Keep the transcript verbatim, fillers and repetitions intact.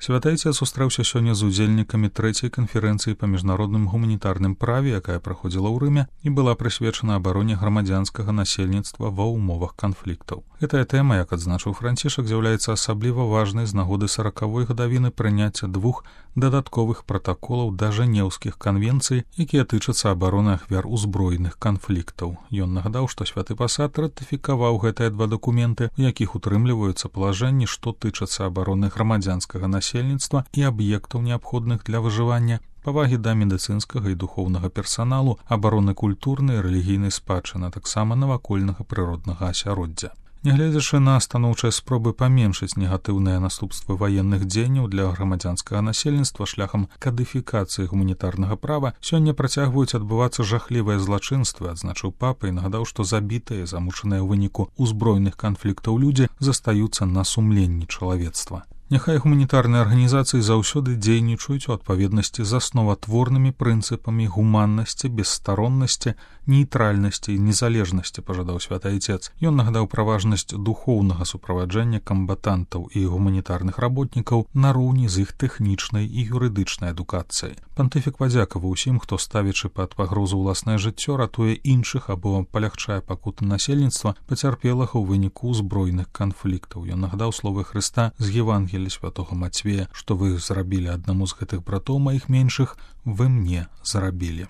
Святы Отец сустрэўся сёння з удзельнікамі трэцяй канферэнцыі па міжнародным гуманітарным праве, якая праходзіла ў Рыме і была прысвечана абароне грамадзянскага насельніцтва ва ўмовах канфліктаў. Гэтая тэма, як адзначыў Францішак, з'яўляецца асабліва важнай з нагоды саракавой гадавіны прыняцця двух дадатковых пратаколаў да Жэнеўскіх канвенцый, якія тычацца абароны ахвяр узброеных канфліктаў. Ён нагадаў, што святы пасад ратыфікаваў гэтыя два дакументы, у якіх утрымліваюцца палажэнні, што тычацца абароны грамадзянскага насельніцтва і аб'ектаў, неабходных для выжывання, павагі да медыцынскага і духоўнага персаналу, абароны культурнай і рэлігійнай спадчыны, а таксама навакольнага прыроднага асяроддзя. Нягледзячы на станоўчыя спробы паменшыць негатыўныя наступствы ваенных дзеянняў для грамадзянскага насельніцтва шляхам кадыфікацыі гуманітарнага права, сёння працягваюць адбывацца жахлівыя злачынствы, адзначыў папа і нагадаў, што забітыя, замучаныя ў выніку ўзброеных канфліктаў людзі застаюцца на сумленні чалавецтва. Няхай гуманітарныя арганізацыі заўсёды дзейнічаюць у адпаведнасці з асноватворнымі прынцыпамі гуманнасці, бесстароннасці, нейтральнасці і незалежнасці, пажадаў святы Отец. Ён нагадаў пра важнасць духоўнага суправаджэння камбатантаў і гуманітарных работнікаў нароўні з іх тэхнічнай і юрыдычнай адукацыяй. Пантыфік падзякаваў усім, хто, ставячы пад пагрозу ўласнае жыццё, ратуе іншых або палягчае пакуты насельніцтва, пацярпелага ў выніку ўзброеных канфліктаў. Ён нагадаў словы Хрыста з Евангелія святого Мацвея, што вы зрабілі аднаму з гэтых братоў маіх меншых, вы мне зрабілі.